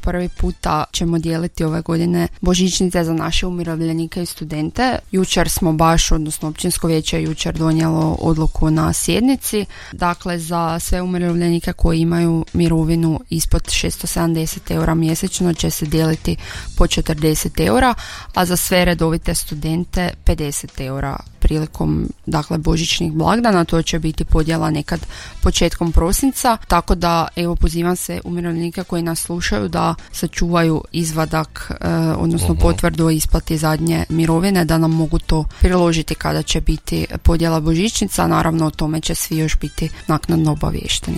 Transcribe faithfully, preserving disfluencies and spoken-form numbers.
prvi puta ćemo dijeliti ove godine božićnice za naše umirovljenike i studente. Jučer smo baš, odnosno općinsko vijeće je jučer donijelo odluku na sjednici. Dakle, za sve umirovljenike koji imaju mirovinu ispod šesto sedamdeset eura mjesečno će se dijeliti po četrdeset eura, a za sve redovite studente pedeset eura prilikom, dakle, božićnih blagdana. To će biti podjela nekad početkom prosinca, tako da evo pozivam se umirovljenike koji nas slušaju da sačuvaju izvadak, eh, odnosno uh-huh. potvrdu o isplati zadnje mirovine, da nam mogu to priložiti kada će biti podjela božićnica. Naravno, o tome će svi još biti naknadno obaviješteni.